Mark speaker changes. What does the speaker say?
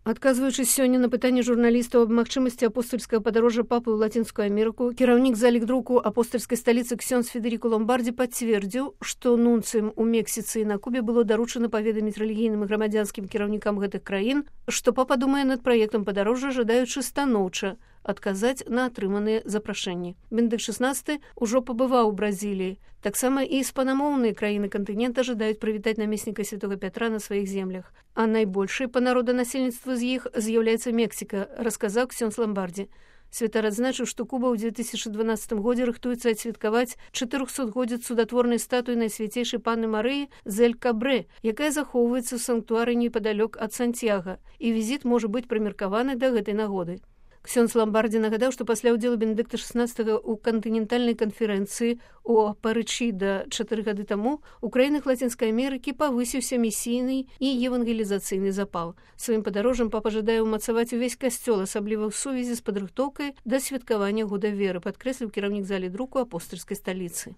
Speaker 1: Адказваючы сёння на пытанне журналістаў аб магчымасці апостальскага падарожжа папы ў Лацінскую Амерыку, кіраўнік залік друку апостальскай сталіцы ксёндз Федерико Ломбарді пацвердзіў, што нунцыям у Мексіцы і на Кубе было даручана паведаміць рэлігійным і грамадзянскім кіраўнікам гэтых краін, што папа думае над праектам падарожжа, жадаючы станоўча адказаць на атрыманыя запрашэнні. Бенедыкт XVI ужо пабываў у Бразіліі. Таксама і іспанамоўныя краіны кантынента жадаюць прывітаць намесніка святога Пятра на сваіх землях. А найбольшай па народанасельніцтву з іх з'яўляецца Мексіка, расказаў ксёндз Ломбарді. Святар адзначыў, што Куба ў 2012 годзе рыхтуецца адсвяткаваць 400-годдзя цудатворнай статуі Найсвяцейшай Панны Марыі з Эль-Кабрэ, якая захоўваецца ў санктуары непадалёк ад Сантьяга, і візіт можа быць прымеркаваны да гэтай нагоды. Ксёндз Ломбарді нагадаў, што пасля ўдзелу Бенедыкта XVI ў кантынентальнай канферэнцыі ў Парычыда 4 гады таму у краінах Лацінскай Амерыкі павысіўся місійны і евангелізацыйны запал. Сваім падарожжам папа жадае ўмацаваць увесь касцёл, асабліва ў сувязі з падрыхтоўкай да святкавання года веры, падкрэсліў кіраўнік залі друку апостальскай сталіцы.